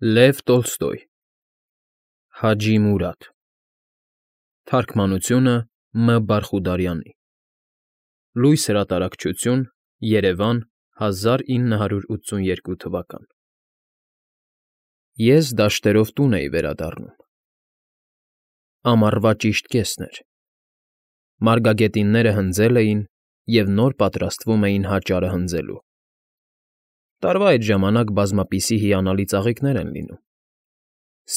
Լև Տոլստոյ Հաջի Մուրադ Թարգմանությունը Մ. Բարխուդարյանի Լույս հրատարակչություն Երևան 1982 թվական Ես դաշտերով տուն էի վերադառնում Ամառվա ճիշտ կեսն էր Մարգագետինները հնձել էին և նոր պատրաստվում էին հաճարը հնձելու Տարվա այդ ժամանակ բազմապիսի հիանալի ծաղիկներ են լինում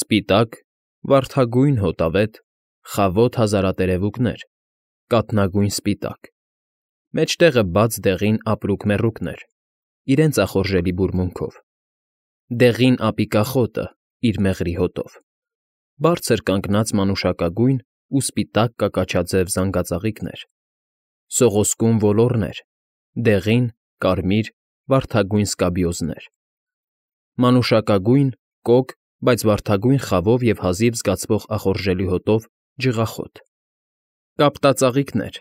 սպիտակ, վարդագույն հոտավետ, խավոտ հազարատերևուկներ, կաթնագույն սպիտակ, մեջտեղը բաց դեղին ապրուկ֊մեռուկներ, իրենց ախորժելի բուրմունքով, դեղին ապիկախոտը իր մեղրի հոտով, բարձր կանգնած մանուշակագույն ու սպիտակ կակաչաձև զանգածաղիկներ, սողոսկուն ոլոռներ, դեղին, կարմիր, վարդագույն սկաբիոզներ, մանուշակագույն, կոկ, բայց վարդագույն խավով և հազիվ զգացվող ախորժելի հոտով ջղախոտ, կապտածաղիկներ,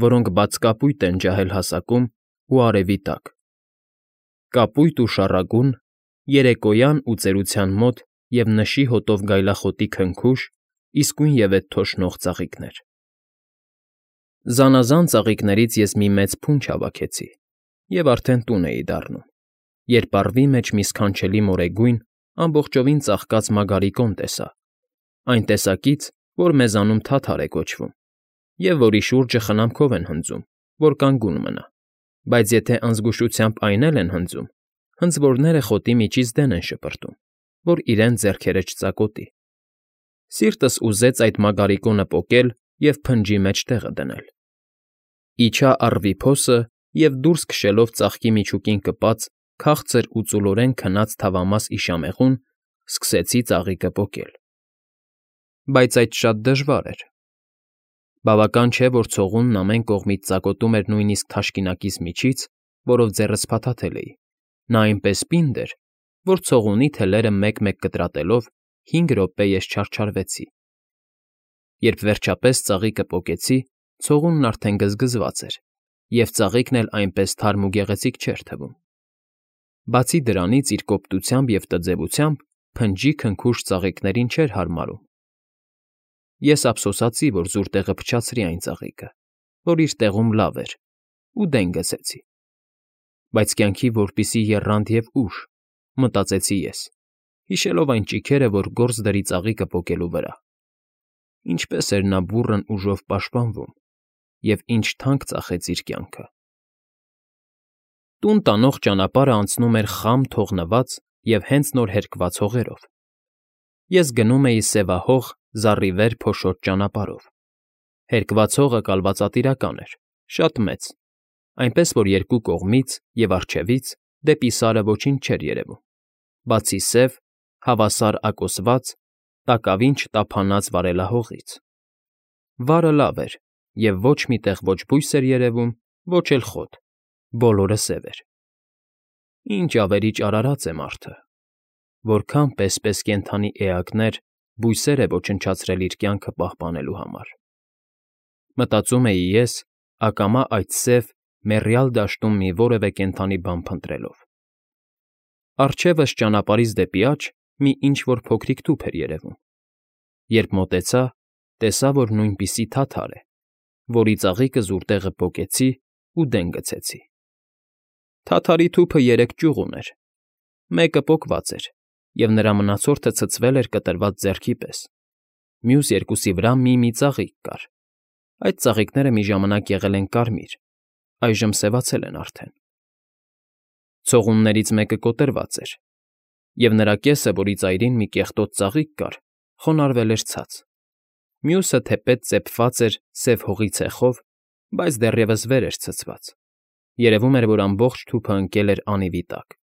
որոնք բաց կապույտ են ջահել հասակում ու արևի տակ, կապույտ ու շառագուն, երեկոյան ու ծերության մոտ և նշի հոտով գայլախոտի քնքուշ, իսկույնևեթ թոշնող ծաղիկներ։ Զանազան ծաղիկներից ես մի մեծ փունջ հավաքեցի և արդեն տուն էի դառնում, երբ առվի մեջ մի սքանչելի մորեգույն, ամբողջովին ծաղկած մագարիկոն տեսա, այն տեսակից, որ մեզանում թաթար է կոչվում, և որի շուրջը խնամքով են հնձում, որ կանգուն մնա, բայց եթե անզգուշությամբ այն էլ են հնձում, հնձվորները խոտի միջից դեն են շպրտում, որ իրենց ձեռքերը չծակոտի։ Սիրտս ուզեց այդ մագարիկոնը պոկել և փնջի մեջ տեղը դնել։ Իջա առվի փոսը և դուրս քշելով ծաղկի միջուկին կպած քաղցր ու ծուլորեն քնած թավամաս իշամեղուն, սկսեցի ծաղիկը պոկել։ Բայց այդ շատ դժվար էր։ Բավական չէ, որ ցողունն ամեն կողմից ծակոտում էր նույնիսկ թաշկինակիս միջից, որով ձեռս փաթաթել էի, նա այնպես պինդ էր, որ ցողունի թելերը մեկ֊մեկ կտրատելով 5 րոպե ես չարչարվեցի։ Երբ վերջապես ծաղիկը պոկեցի, ցողունն արդեն գզգզված էր, և ծաղիկն էլ այնպես թարմ ու գեղեցիկ չէր թվում։ Բացի դրանից իր կոպտությամբ և տձևությամբ փնջի քնքուշ ծաղիկներին չէր հարմարում։ Ես ափսոսացի, որ զուր տեղը փչացրի այն ծաղիկը, որ իր տեղում լավ էր, ու դեն գցեցի։ Բայց կյանքի որպիսի եռանդ և ուժ, մտածեցի ես, հիշելով այն ճիգերը, որ գործ դրի ծաղիկը պոկելու վրա։ Ինչպես էր նա բուռն ուժով պաշտպանվում և ինչ թանկ ծախեց իր կյանքը։ Տուն տանող ճանապարհը անցնում էր խամ թողնված և հենց նոր հերկված հողերով։ Ես գնում էի սևահող, զառիվեր փոշոտ ճանապարհով։ Հերկված հողը կալվածատիրական էր, շատ մեծ, այնպես որ երկու կողմից և առջևից դեպի Սարը ոչինչ չէր երևում, բացի սև, հավասար ակոսված, տակավին չտափանած վարելահողից։ Վարը լավ էր, և ոչ մի տեղ ոչ բույս էր երևում, ոչ էլ խոտ, բոլորը սև էր։ Ինչ ավերիչ արարած է մարդը, որքան պես֊պես կենդանի էակներ, բույսեր է ոչնչացրել իր կյանքը պահպանելու համար։ Մտածում էի ես, ակամա այդ սև, մեռյալ դաշտում մի որևէ կենդանի բան փնտրելով։ Առջևս ճանապարհից դեպի աջ մի ինչ֊որ փոքրիկ թուփ էր երևում։ Երբ մոտեցա, տեսա, որ նույնպիսի թաթար է, որի ծաղիկը զուր տեղը պոկեցի ու դեն գցեցի։ Թաթարի թուփը 3 ճյուղ ուներ։ Մեկը պոկված էր, և նրա մնացորդը ցցվել էր կտրված ձեռքի պես, մյուս երկուսի վրա մի ծաղիկ կար։ Այդ ծաղիկները մի ժամանակ եղել են կարմիր, այժմ սևացել են արդեն։ Ցողուններից մեկը կոտրված էր, և նրա կեսը, որի ծայրին մի կեղտոտ ծաղիկ կար, խոնարհվել էր ցած։ Մյուսը թեպետ ծեփված էր սև հողի ցեխով, բայց դեռևս վեր էր ցցված։ Երևում էր, որ ամբողջ թուփը ընկել էր անիվի տակ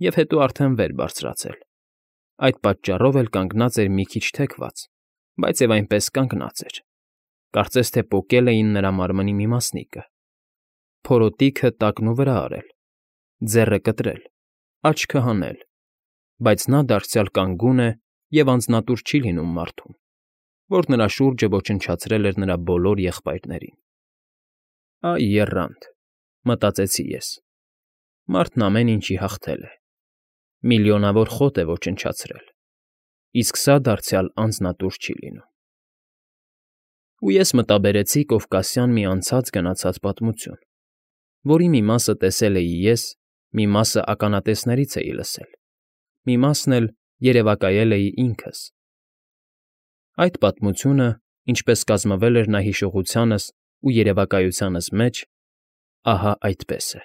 և հետո արդեն վեր բարձրացել։ Այդ պատճառով էլ կանգնած էր մի քիչ թեքված, բայց և այնպես կանգնած էր։ Կարծես թե պոկել էին նրա մարմնի մի մասնիկը։ Փորոտիքը տակն ու վրա արել, ձեռը կտրել, աչքը հանել, բայց նա դարձյալ կանգուն է և անձնատուր չի լինում մարդուն, որ նրա շուրջը ոչնչացրել էր նրա բոլոր եղբայրներին։ Այ եռանդ, մտածեցի ես, մարդն ամեն ինչի հաղթել է։ միլիոնավոր խոտ է ոչնչացրել, իսկ սա դարձյալ անձնատուր չի լինում։ Ու ես մտաբերեցի կովկասյան մի անցած֊գնացած պատմություն, որի մի մասը տեսել էի ես, մի մասը ականատեսներից էի լսել, մի մասն էլ երևակայել էի ինքս։ Այդ պատմությունը, ինչպես կազմվել էր նա հիշողությանս ու երևակայությանս մեջ, ահա այդպես է։